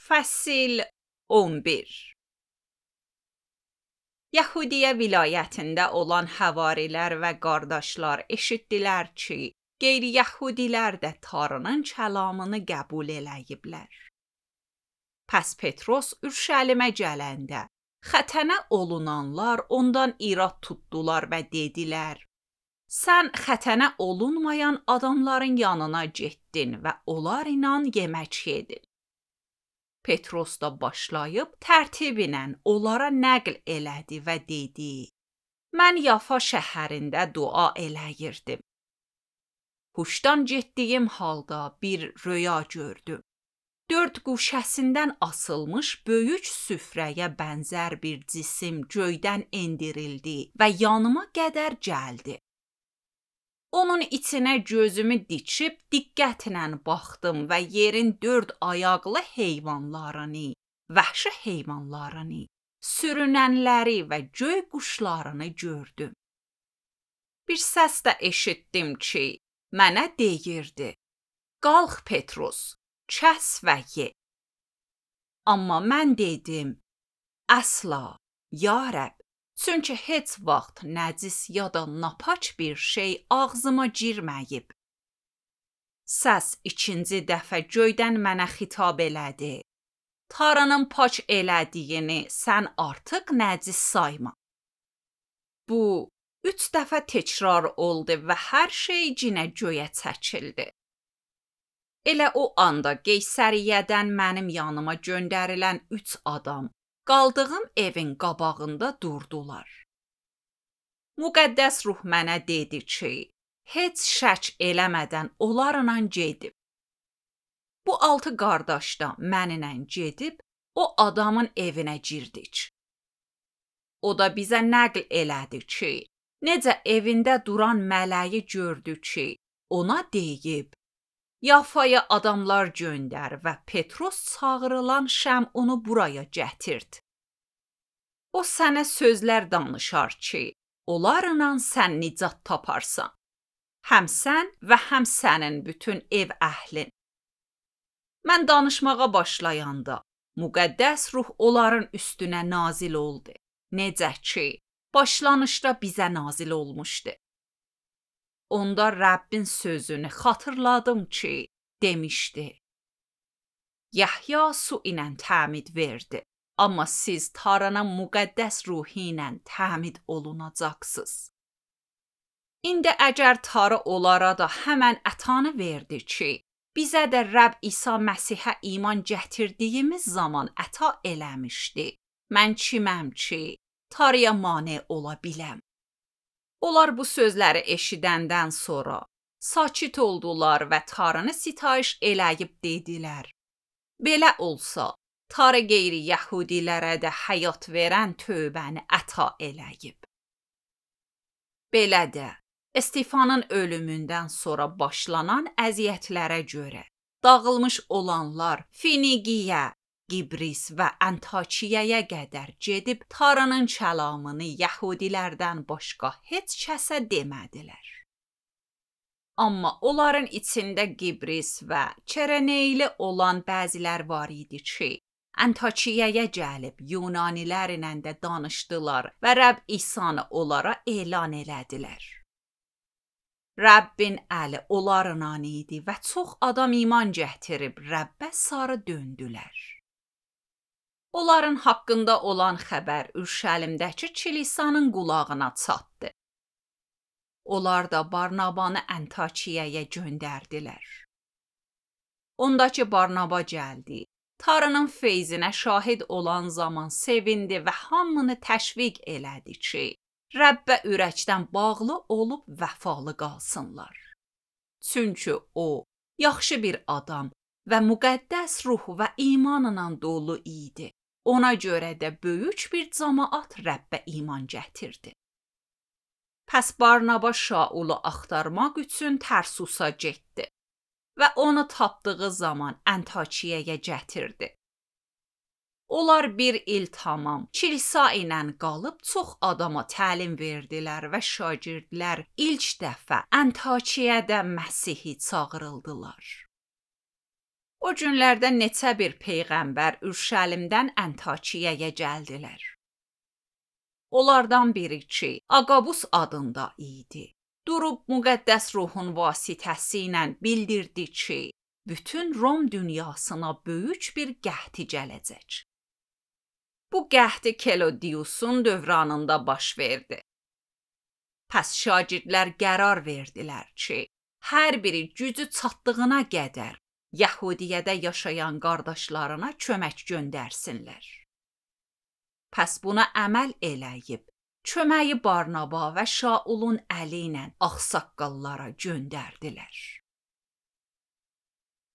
Fəsil 11 Yahudiyə vilayətində olan həvarilər və qardaşlar eşitdilər ki, qeyri-yəhudilər də Tanrının kəlamını qəbul eləyiblər. Pəs Petros Ürüşəlimə gələndə, xətənə olunanlar ondan irad tutdular və dedilər, sən xətənə olunmayan adamların yanına getdin və onlar ilə yemək yedin. Petros da başlayıb tərtiblə onlara nəql elədi və dedi, mən Yafa şəhərində dua eləyirdim. Huşdan getdiyim halda bir röya gördüm. 4 quşəsindən asılmış böyük süfrəyə bənzər bir cisim göydən endirildi və yanıma qədər gəldi. Onun içinə gözümü dikib diqqətlə baxdım və yerin 4 ayaqlı heyvanlarını, vəhşi heyvanlarını, sürünənləri və göy quşlarını gördüm. Bir səs də eşitdim ki, mənə deyirdi, qalx Petros, kəs və ye. Amma mən dedim, əsla, ya Rəbb, çünki heç vaxt nəcis ya da napaç bir şey ağzıma girməyib. Səs 2-ci dəfə göydən mənə xitab elədi. Tanrının paç elədiyini sən artıq nəcis sayma. Bu 3 dəfə təkrar oldu və hər şey yenə göyə çəkildi. Elə o anda Qeysəriyyədən mənim yanıma göndərilən 3 adam qaldığım evin qabağında durdular. Müqəddəs ruh mənə dedi ki, heç şək eləmədən onlarla gedib. Bu 6 qardaş da mənimlə gedib o adamın evinə girdik. O da bizə nəql elədi ki, necə evində duran mələyi gördü ki, ona deyib, Yafaya adamlar göndər və Petros çağırılan Şəmunu buraya gətird. O sənə sözlər danışar ki, onlarla sən nicat taparsan. Həm sən və həm sənin bütün ev əhlin. Mən danışmağa başlayanda, müqəddəs ruh onların üstünə nazil oldu. Necə ki, başlanışda bizə nazil olmuşdu. Onda Rəbbin sözünü xatırladım ki, demişdi. Yahya su ilə təmid verdi, amma siz Tanrının müqəddəs ruhu ilə təmid olunacaqsınız. İndi əgər Tanrı onlara da həmən ətanı verdi ki, bizə də Rəbb İsa Məsihə iman gətirdiyimiz zaman əta eləmişdi. Mən kiməm ki, Tanrıya mane ola biləm? Onlar bu sözləri eşidəndən sonra sakit oldular və Tanrını sitayiş eləyib dedilər. Belə olsa, Tanrı qeyri-yəhudilərə də həyat verən tövbəni əta eləyib. Belə də, Stefanın ölümündən sonra başlanan əziyyətlərə görə dağılmış olanlar Finiqiyə, Qibris və Antakiyaya qədər gedib Tanrının kəlamını yəhudilərdən başqa heç kəsə demədilər. Amma onların içində Qibris və Çereneyli olan bəzilər var idi ki, Antakiyaya gəlib Yunanilərlə də danışdılar və Rəbb İsanı onlara elan elədilər. Rəbbin əli onlarla idi və çox adam iman gətirib Rəbbə sarı döndülər. Onların haqqında olan xəbər Ürüşəlimdəki kilisanın qulağına çatdı. Onlar da Barnabanı Antakiyaya göndərdilər. Ondakı Barnaba gəldi. Tanrının feyzinə şahid olan zaman sevindi və hamını təşviq elədi ki, Rəbbə ürəkdən bağlı olub vəfalı qalsınlar. Çünki o, yaxşı bir adam və müqəddəs ruh və imanla dolu idi. Ona görə də böyük bir cəmaət Rəbbə iman gətirdi. Pəs Barnaba Şaulu axtarmaq üçün Tərsusa getdi və onu tapdığı zaman Antakiyaya gətirdi. Onlar 1 il tamam kilisa ilə qalıb çox adama təlim verdilər və şagirdlər ilk dəfə Antakiyada Məsihi çağırıldılar. O günlərdə neçə bir peyğəmbər Ürşəlimdən Əntakiyəyə gəldilər. Onlardan biri ki, Aqabus adında idi. Durub müqəddəs ruhun vasitəsi ilə bildirdi ki, bütün Rom dünyasına böyük bir qəhti gələcək. Bu qəhti Kelodiusun dövranında baş verdi. Pəs şagirdlər qərar verdilər ki, hər biri gücü çatdığına qədər Yəhudiyyədə yaşayan qardaşlarına kömək göndərsinlər. Pəs buna əməl eləyib, köməyi Barnaba və Şaulun əli ilə ağsaqqallara göndərdilər.